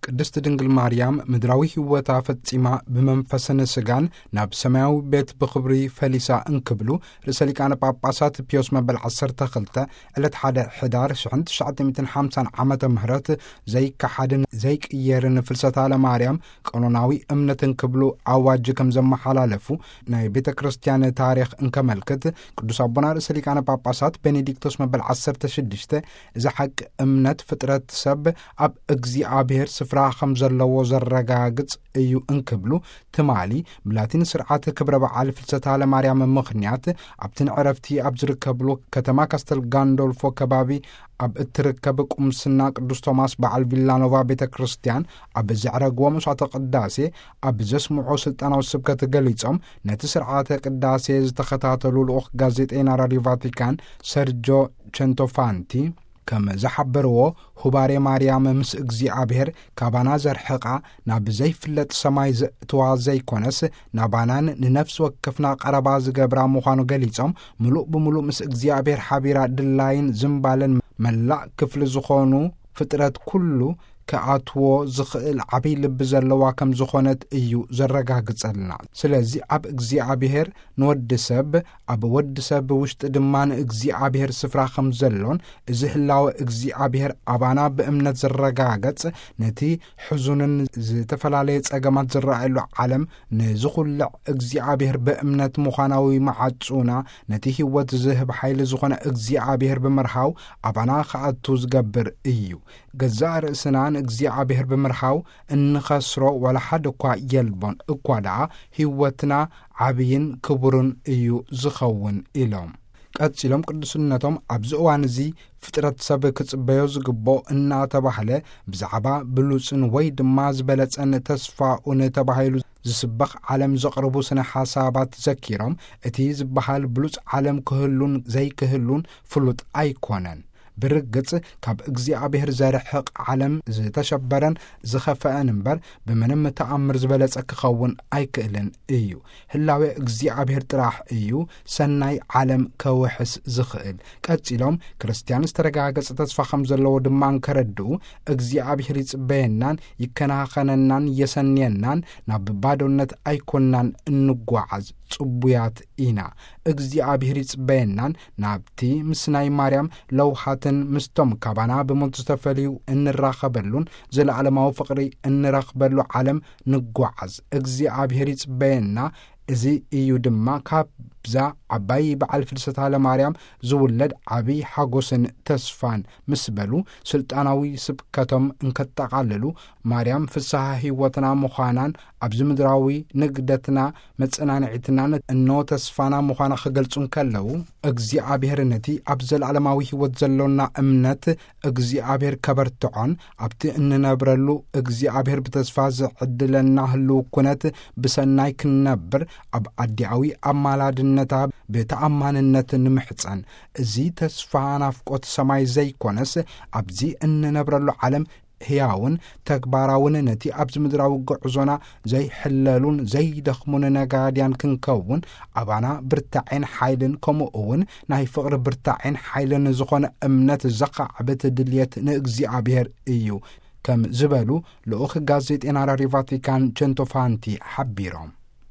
ቅድስት ድንግል ማርያም ምድራዊ ሕይወታ ፈጺማ ብመንፈስን ስጋን ናብ ሰማያዊ ቤት ብኽብሪ ፈሊሳ እንክብሉ ርእሰ ሊቃነ ጳጳሳት ፒዮስ መበል ዓሰርተ ክልተ ዕለት ሓደ ሕዳር ሽሕን ትሽዓተ ሚእትን ሓምሳን ዓመተ ምህረት ዘይከሓድን ዘይቅየርን ፍልሰታ ለማርያም ቀኖናዊ እምነት እንክብሉ ኣዋጅ ከም ዘመሓላለፉ ናይ ቤተ ክርስቲያን ታሪኽ እንከመልክት፣ ቅዱስ ኣቦና ርእሰ ሊቃነ ጳጳሳት ቤኔዲክቶስ መበል ዓሰርተ ሽዱሽተ እዚ ሓቂ እምነት ፍጥረት ሰብ ኣብ እግዚኣብሔር ስፍራ ከም ዘለዎ ዘረጋግጽ እዩ እንክብሉ፣ ትማሊ ብላቲን ስርዓት ክብረ በዓል ፍልሰታ ለማርያም ምኽንያት ኣብቲ ንዕረፍቲ ኣብ ዝርከብሉ ከተማ ካስተል ጋንዶልፎ ከባቢ ኣብ እትርከብ ቁምስና ቅዱስ ቶማስ በዓል ቪላኖቫ ቤተ ክርስቲያን ኣብ ዘዕረግዎ መስዋዕተ ቅዳሴ ኣብ ዘስምዖ ስልጣናዊ ስብከት ገሊጾም፣ ነቲ ስርዓተ ቅዳሴ ዝተኸታተሉ ልኡኽ ጋዜጠይና ራዲዮ ቫቲካን ሰርጆ ቸንቶፋንቲ ከም ዝሓበርዎ፣ ሁባሬ ማርያም ምስ እግዚኣብሔር ካባና ዘርሕቓ፣ ናብ ዘይፍለጥ ሰማይ ዘእትዋ ዘይኮነስ፣ ናባናን ንነፍሲ ወከፍና ቀረባ ዝገብራ ምዃኑ ገሊጾም፣ ምሉእ ብምሉእ ምስ እግዚኣብሔር ሓቢራ ድላይን ዝምባለን መላእ ክፍሊ ዝኾኑ ፍጥረት ኩሉ ክኣትዎ ዝኽእል ዓብይ ልቢ ዘለዋ ከም ዝኾነት እዩ ዘረጋግጸልና። ስለዚ ኣብ እግዚኣብሔር ንወዲ ሰብ፣ ኣብ ወዲ ሰብ ውሽጢ ድማ ንእግዚኣብሔር ስፍራ ከም ዘሎን፣ እዚ ህላወ እግዚኣብሔር ኣባና ብእምነት ዝረጋገጽ፣ ነቲ ሕዙንን ዝተፈላለየ ጸገማት ዝረኣየሉ ዓለም ንዝኹልዕ እግዚኣብሔር ብእምነት ምዃናዊ መዓጹና፣ ነቲ ህይወት ዝህብ ሓይሊ ዝኾነ እግዚኣብሔር ብምርሃው ኣባና ክኣቱ ዝገብር እዩ። ገዛእ ርእስና ንእግዚኣብሔር ብምርሃው እንኸስሮ ዋላ ሓደ እኳ የልቦን፣ እኳ ደኣ ህይወትና ዓብይን ክቡርን እዩ ዝኸውን ኢሎም። ቀጺሎም ቅዱስነቶም ኣብዚ እዋን እዚ ፍጥረት ሰብ ክጽበዮ ዝግብኦ እናተባህለ ብዛዕባ ብሉጽን ወይ ድማ ዝበለጸን ተስፋኡን ተባሂሉ ዝስበኽ ዓለም ዘቕርቡ ስነ ሓሳባት ዘኪሮም፣ እቲ ዝበሃል ብሉጽ ዓለም ክህሉን ዘይክህሉን ፍሉጥ ኣይኮነን። ብርግጽ ካብ እግዚኣብሔር ዘርሕቕ ዓለም ዝተሸበረን ዝኸፈአን እምበር ብምንም ተኣምር ዝበለጸ ክኸውን ኣይክእልን እዩ። ህላዌ እግዚኣብሔር ጥራሕ እዩ ሰናይ ዓለም ከውሕስ ዝኽእል። ቀጺሎም ክርስትያን ዝተረጋገጸ ተስፋ ከም ዘለዎ ድማ እንከረድኡ፣ እግዚኣብሔር ይጽበየናን ይከናኸነናን የሰንየናን፣ ናብ ባዶነት ኣይኮንናን እንጓዓዝ፣ ጽቡያት ኢና። እግዚኣብሔር ይጽበየናን ናብቲ ምስ ናይ ማርያም ለውሃትን ምስቶም ካባና ብሞት ዝተፈልዩ እንራኸበሉን ዘለዓለማዊ ፍቕሪ እንረኽበሉ ዓለም ንጓዓዝ። እግዚኣብሔር ይጽበየና። እዚ እዩ ድማ ካብዛ ዓባይ በዓል ፍልሰታ ለማርያም ዝውለድ ዓብይ ሓጎስን ተስፋን ምስ በሉ ስልጣናዊ ስብከቶም እንከጠቓልሉ፣ ማርያም ፍስሐ ህይወትና ምዃናን ኣብዚ ምድራዊ ንግደትና መጸናንዒትናን እኖ ተስፋና ምዃና ክገልጹ እንከለዉ፣ እግዚኣብሔር ነቲ ኣብ ዘለዓለማዊ ህይወት ዘሎና እምነት እግዚኣብሔር ከበርትዖን ኣብቲ እንነብረሉ እግዚኣብሔር ብተስፋ ዝዕድለና ህልው ኩነት ብሰናይ ክንነብር ኣብ ኣዲኣዊ ኣማላድነታ ብተኣማንነት ንምሕጸን። እዚ ተስፋ ናፍቆት ሰማይ ዘይኮነስ ኣብዚ እንነብረሉ ዓለም ህያውን ተግባራውን ነቲ ኣብዚ ምድራዊ ጉዕዞና ዘይሕለሉን ዘይደኽሙን ነጋድያን ክንከውን ኣባና ብርታዔን ሓይልን ከምኡ እውን ናይ ፍቕሪ ብርታዔን ሓይልን ዝኾነ እምነት ዘኻዕብት ድልየት ንእግዚኣብሔር እዩ ከም ዝበሉ ልኡኽ ጋዜጤና ራዲዮ ቫቲካን ቸንቶፋንቲ ሓቢሮም።